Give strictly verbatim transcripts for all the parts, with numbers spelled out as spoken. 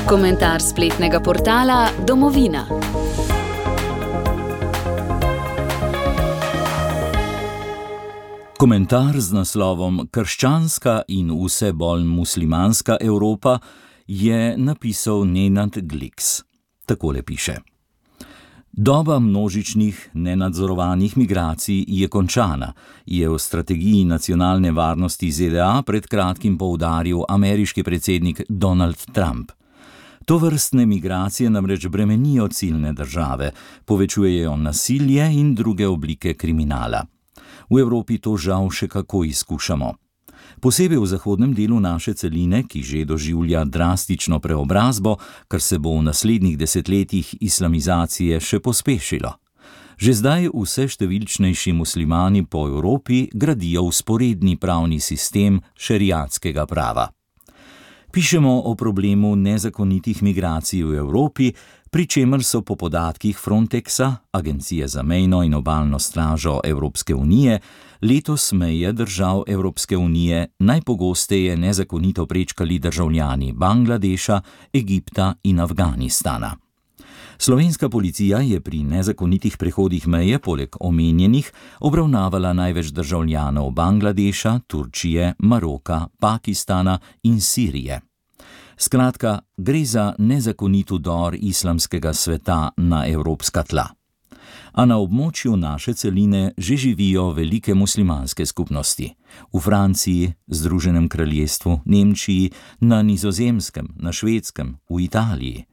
Komentar spletnega portala Domovina. Komentar z naslovom Krščanska in vse bolj muslimanska Evropa je napisal Nenad Gliks. Takole piše. Doba množičnih, nenadzorovanih migracij je končana, je v strategiji nacionalne varnosti Z D A pred kratkim poudaril ameriški predsednik Donald Trump. Tovrstne migracije namreč bremenijo ciljne države, povečujejo nasilje in druge oblike kriminala. V Evropi to žal še kako izkušamo. Posebej v zahodnem delu naše celine, ki že doživlja drastično preobrazbo, kar se bo v naslednjih desetletjih islamizacije še pospešilo. Že zdaj vse številčnejši muslimani po Evropi gradijo vzporedni pravni sistem šeriatskega prava. Pišemo o problemu nezakonitih migracij v Evropi, pri čemer so po podatkih Frontexa, Agencije za mejno in obalno stražo Evropske unije, letos meje držav Evropske unije najpogosteje nezakonito prečkali državljani Bangladeša, Egipta in Afganistana. Slovenska policija je pri nezakonitih prehodih meje poleg omenjenih obravnavala največ državljanov Bangladeša, Turčije, Maroka, Pakistana in Sirije. Skratka, gre za nezakonit vdor islamskega sveta na evropska tla. A na območju naše celine že živijo velike muslimanske skupnosti. V Franciji, Združenem kraljestvu, Nemčiji, na Nizozemskem, na Švedskem, v Italiji.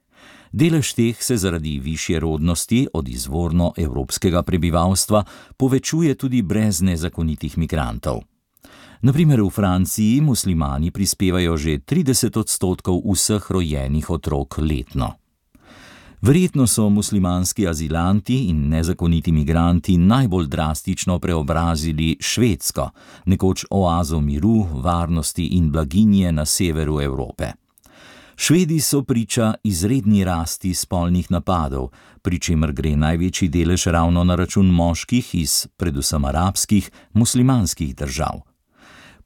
Delež teh se zaradi višje rodnosti od izvorno evropskega prebivalstva povečuje tudi brez nezakonitih migrantov. Na primer v Franciji muslimani prispevajo že trideset odstotkov vseh rojenih otrok letno. Verjetno so muslimanski azilanti in nezakoniti migranti najbolj drastično preobrazili Švedsko, nekoč oazo miru, varnosti in blaginje na severu Evrope. Švedi so priča izredni rasti spolnih napadov, pri čemer gre največji delež ravno na račun moških iz predvsem arabskih, muslimanskih držav.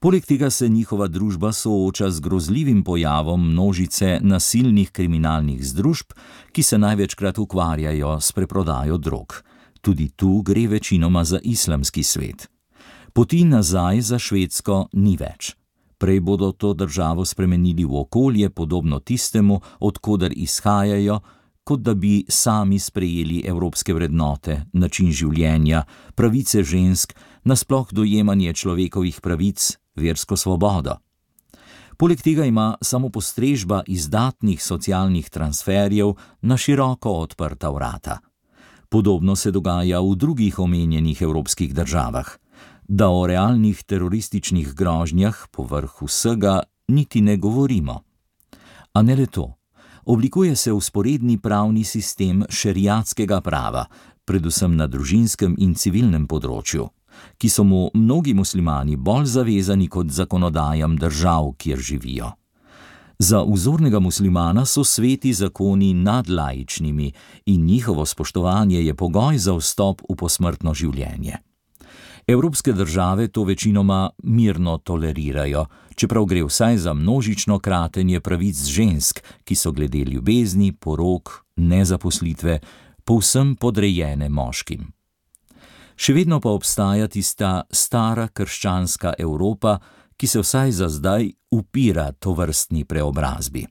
Poleg tega se njihova družba sooča z grozljivim pojavom množice nasilnih kriminalnih združb, ki se največkrat ukvarjajo s preprodajo drog. Tudi tu gre večinoma za islamski svet. Poti nazaj za Švedsko ni več. Prej bodo to državo spremenili v okolje podobno tistemu, od koder izhajajo, kot da bi sami sprejeli evropske vrednote, način življenja, pravice žensk, nasploh dojemanje človekovih pravic, versko svobodo. Poleg tega ima samopostrežba izdatnih socialnih transferjev na široko odprta vrata. Podobno se dogaja v drugih omenjenih evropskih državah. Da o realnih terorističnih grožnjah povrh vsega niti ne govorimo. A ne le to. Oblikuje se vzporedni pravni sistem šeriatskega prava, predvsem na družinskem in civilnem področju, ki so mu mnogi muslimani bolj zavezani kot zakonodajam držav, kjer živijo. Za vzornega muslimana so sveti zakoni nad laičnimi in njihovo spoštovanje je pogoj za vstop v posmrtno življenje. Evropske države to večinoma mirno tolerirajo, čeprav gre vsaj za množično kratenje pravic žensk, ki so glede ljubezni, porok, nezaposlitve, povsem podrejene moškim. Še vedno pa obstaja tista stara krščanska Evropa, ki se vsaj za zdaj upira tovrstni preobrazbi.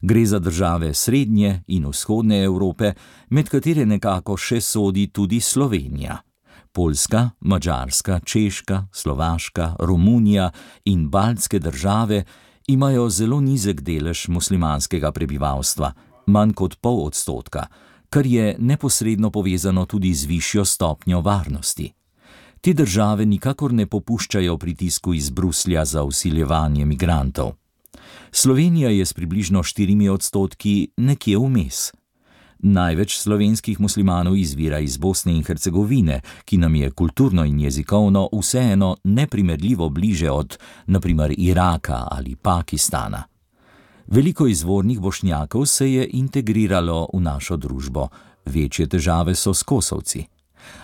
Gre za države srednje in vzhodne Evrope, med katere nekako še sodi tudi Slovenija. Poljska, Madžarska, Češka, Slovaška, Romunija in baltske države imajo zelo nizek delež muslimanskega prebivalstva, manj kot pol odstotka, kar je neposredno povezano tudi z višjo stopnjo varnosti. Te države nikakor ne popuščajo pritisku iz Bruslja za vsiljevanje migrantov. Slovenija je s približno štirimi odstotki nekje vmes. Največ slovenskih muslimanov izvira iz Bosne in Hercegovine, ki nam je kulturno in jezikovno vseeno neprimerljivo bliže od, na primer, Iraka ali Pakistana. Veliko izvornih Bošnjakov se je integriralo v našo družbo, večje težave so s Kosovci.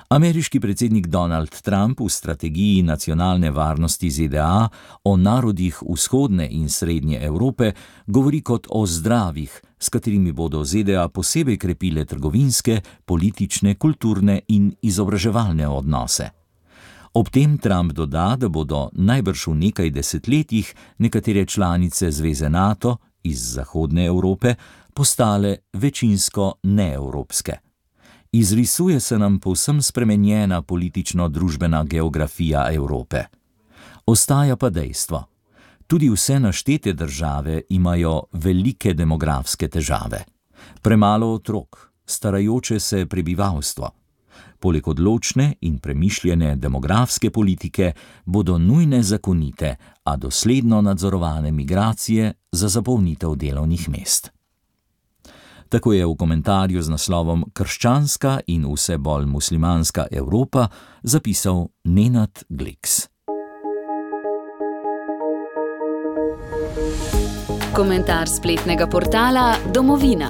Ameriški predsednik Donald Trump v strategiji nacionalne varnosti Z D A o narodih vzhodne in srednje Evrope govori kot o zdravih, s katerimi bodo Z D A posebej krepile trgovinske, politične, kulturne in izobraževalne odnose. Ob tem Trump doda, da bodo najbrž v nekaj desetletjih nekatere članice Zveze NATO iz zahodne Evrope postale večinsko neevropske. Izrisuje se nam povsem spremenjena politično-družbena geografija Evrope. Ostaja pa dejstvo. Tudi vse naštete države imajo velike demografske težave. Premalo otrok, starajoče se prebivalstvo. Poleg odločne in premišljene demografske politike bodo nujne zakonite, a dosledno nadzorovane migracije za zapolnitev delovnih mest. Tako je v komentarju z naslovom Krščanska in vse bolj muslimanska Evropa zapisal Nenad Gliks. Komentar spletnega portala Domovina.